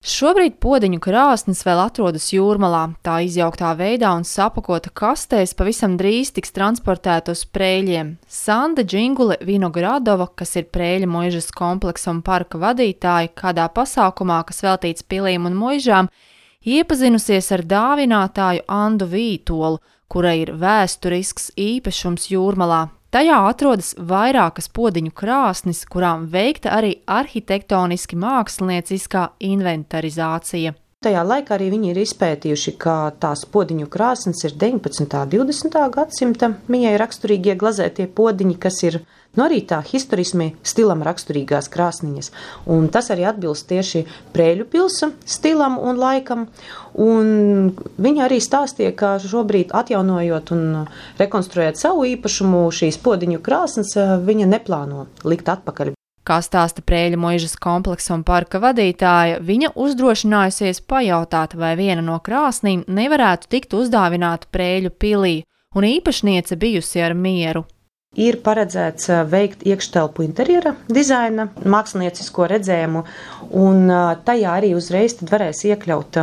Šobrīd podeņu krāsnes vēl atrodas Jūrmalā. Tā izjauktā veidā un sapakota kastēs pavisam drīz tiks transportēta uz Prēļiem. Sanda Džingule Vinogradova, kas ir Prēļa muižas kompleksa un parka vadītāja, kādā pasākumā, kas veltīts pilīm un muižām, iepazinusies ar dāvinātāju Andu Vītolu, kurai ir vēsturisks īpašums Jūrmalā. Tajā atrodas vairākas podeņu krāsnes, kurām veikta arī arhitektoniski mākslinieciskā inventarizācija. Tajā laikā arī viņi ir izpētījuši, ka tās podeņu krāsnes ir 19. un 20. gadsimta mijai raksturīgie glazētie podeņi, kas ir arī tā historismi stilam raksturīgās krāsniņas. Un tas arī atbilst tieši Prēļu pilsa stilam un laikam. Un viņa arī stāstīja, ka šobrīd atjaunojot un rekonstruējot savu īpašumu šīs podeņu krāsnes, viņa neplāno likt atpakaļ. Kā stāsta Prēļa muižas kompleksa un parka vadītāja, viņa uzdrošinājusies pajautāt, vai viena no krāsnīm nevarētu tikt uzdāvināta Prēļu pilī, un īpašniece bijusi ar mieru. Ir paredzēts veikt iekštelpu interjera dizaina, māksliniecisko redzējumu, un tajā arī uzreiz tad varēs iekļaut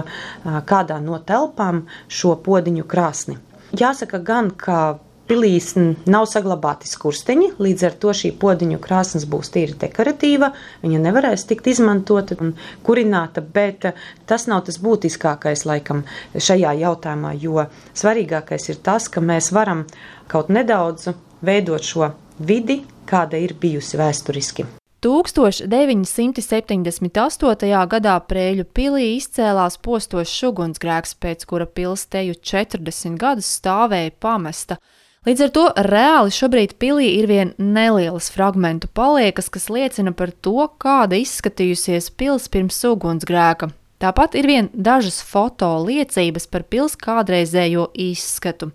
kādā no telpām šo podeņu krāsni. Jāsaka gan, ka pilīs nav saglabāti skursteņi, līdz ar to šī podeņu krāsnes būs tīri dekoratīva, viņa nevarēs tikt izmantota un kurināta, bet tas nav tas būtiskākais laikam šajā jautājumā, jo svarīgākais ir tas, ka mēs varam kaut nedaudz veidot šo vidi, kāda ir bijusi vēsturiski. 1978. gadā Prēļu pilī izcēlās postošs ugunsgrēks, pēc kura pils teju 40 gadus stāvēja pamesta. Līdz ar to reāli šobrīd pilī ir vien nelielas fragmentu paliekas, kas liecina par to, kāda izskatījusies pils pirms ugunsgrēka. Tāpat ir vien dažas foto liecības par pils kādreizējo izskatu.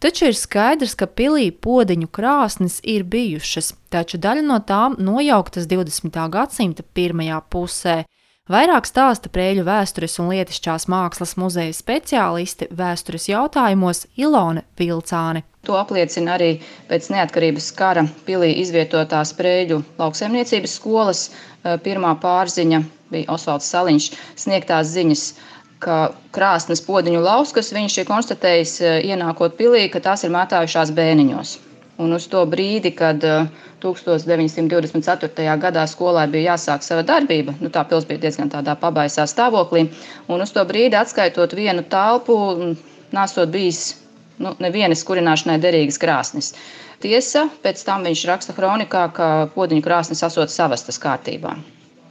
Taču ir skaidrs, ka pilī podeņu krāsnes ir bijušas, taču daļa no tām nojauktas 20. gadsimta pirmajā pusē. Vairāk stāsta Prēļu vēstures un lietišķās mākslas muzeja speciāliste vēstures jautājumos Ilone Vilcāne. To apliecina arī pēc neatkarības kara pilī izvietotās Prēļu lauksaimniecības skolas pirmā pārziņa, bija Osvalds Saliņš, sniegtās ziņas, ka krāsnes podeņu lauskas viņš ir konstatējis ienākot pilī, ka tās ir mētājušās bēniņos. Un uz to brīdi, kad 1924. gadā skolai bija jāsāk sava darbība, tā pils bija diezgan tādā pabaisā stāvoklī, un uz to brīdi atskaitot vienu telpu, nesot bijis nevienas kurināšanai derīgas krāsnes. Tiesa, pēc tam viņš raksta kronikā, ka podeņu krāsnes esot savastas kārtībā.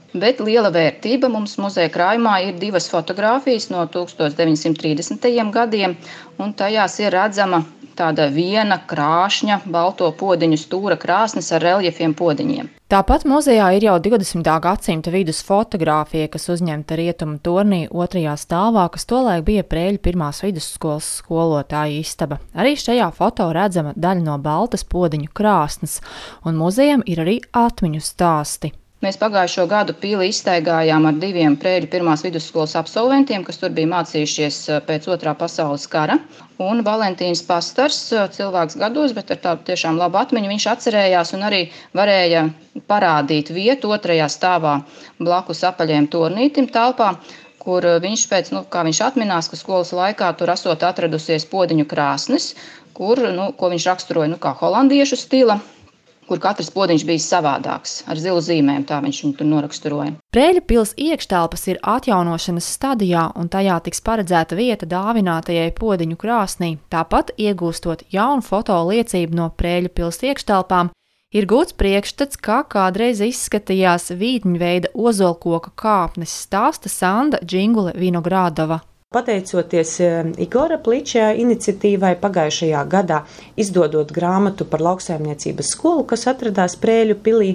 Bet liela vērtība mums muzeja krājumā ir divas fotogrāfijas no 1930. gadiem, un tajās ir redzama tāda viena krāšņa balto podeņu stūra krāsnes ar reljefiem podeņiem. Tāpat muzejā ir jau 20. gadsimta vidus fotogrāfija, kas uzņemta Rietumu tornī 2. stāvā, kas tolaik bija Prēļu pirmās vidusskolas skolotāja istaba. Arī šajā foto redzama daļa no baltas podeņu krāsnes, un muzejam ir arī atmiņu stāsti. Mēs pagājušo gadu pili izstaigājām ar diviem Prēļu pirmās vidusskolas absolventiem, kas tur bija mācījušies pēc 2. pasaules kara. Un Valentīns Pastars, cilvēks gados, bet ar tādu tiešām labu atmiņu, viņš atcerējās un arī varēja parādīt vietu 2. stāvā blakus apaļiem tornītim telpā, kur viņš pēc, kā viņš atminās, ka skolas laikā tur esot atradusies podeņu krāsnes, kur, ko viņš raksturoja kā holandiešu stila, kur katrs podeņš bija savādāks, ar zilu zīmēm, tā viņš viņu tur noraksturoja. Prēļu pils iekštelpas ir atjaunošanas stadijā, un tajā tiks paredzēta vieta dāvinātajai podeņu krāsnī. Tāpat, iegūstot jaunu foto liecību no Prēļu pils iekštelpām, ir gūts priekšstats, kā kādreiz izskatījās vītņveida ozolkoka kāpnes, stāsta Sanda Džingule Vinogradova. Pateicoties Igora Pliča iniciatīvai pagājušajā gadā, izdodot grāmatu par lauksaimniecības skolu, kas atradās Prēļu pilī,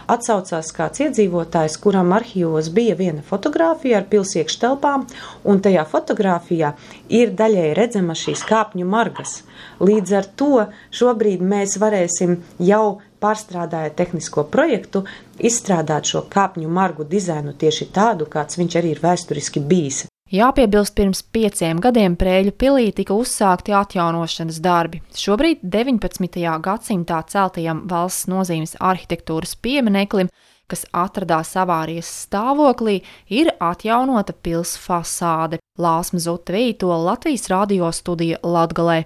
atsaucās kāds iedzīvotājs, kuram arhīvos bija viena fotogrāfija ar pils iekštelpām, un tajā fotogrāfijā ir daļai redzama šīs kāpņu margas. Līdz ar to šobrīd mēs varēsim jau pārstrādājot tehnisko projektu, izstrādāt šo kāpņu margu dizainu tieši tādu, kāds viņš arī ir vēsturiski bijis. Jāpiebilst, pirms 5 gadiem Prēļu pilī tika uzsākti atjaunošanas darbi. Šobrīd 19. gadsimtā celtajam valsts nozīmes arhitektūras piemineklim, kas atradās avārijas stāvoklī, ir atjaunota pils fasāde. Lāsma Zuta Vītola, Latvijas radio studija Latgalē.